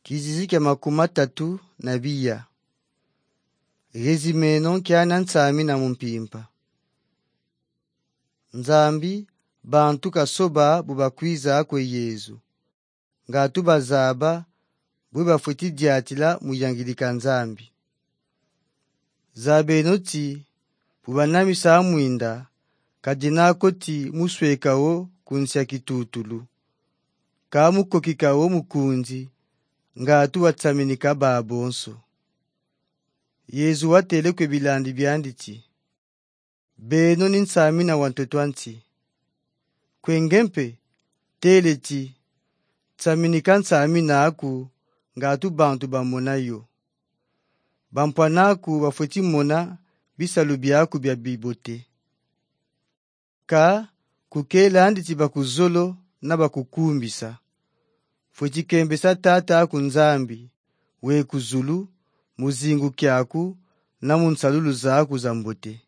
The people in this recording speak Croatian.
Kizizi kya 32 Gezimeno kyana nsami na mumpimpa. Nzambi bantu kasoba bubakwiza kwe Yezu. Ngatu bazaba bubafwiti diatila muyangilika nzambi. Zabenoti bubanamisa mwinda kadinako ti muswekawo kunsya kitutulu. Kamukokikawo mukunzi ngatu watsaminika babonso. Yezu watele kwe bilandi byanditi. Beno ni nsami na wantotwanti. Kwengempe tele ti tsaminika nsami na aku ngatu bantu bamona yo. Bampwanaku bafweti mona bisalu byaku bya bibote. Ka kukela anditi bakuzolo na bakukumbisa. Fweti kembesa tata aku nzambi we kuzulu muzingu kyaku na munsalulu zaku zambote.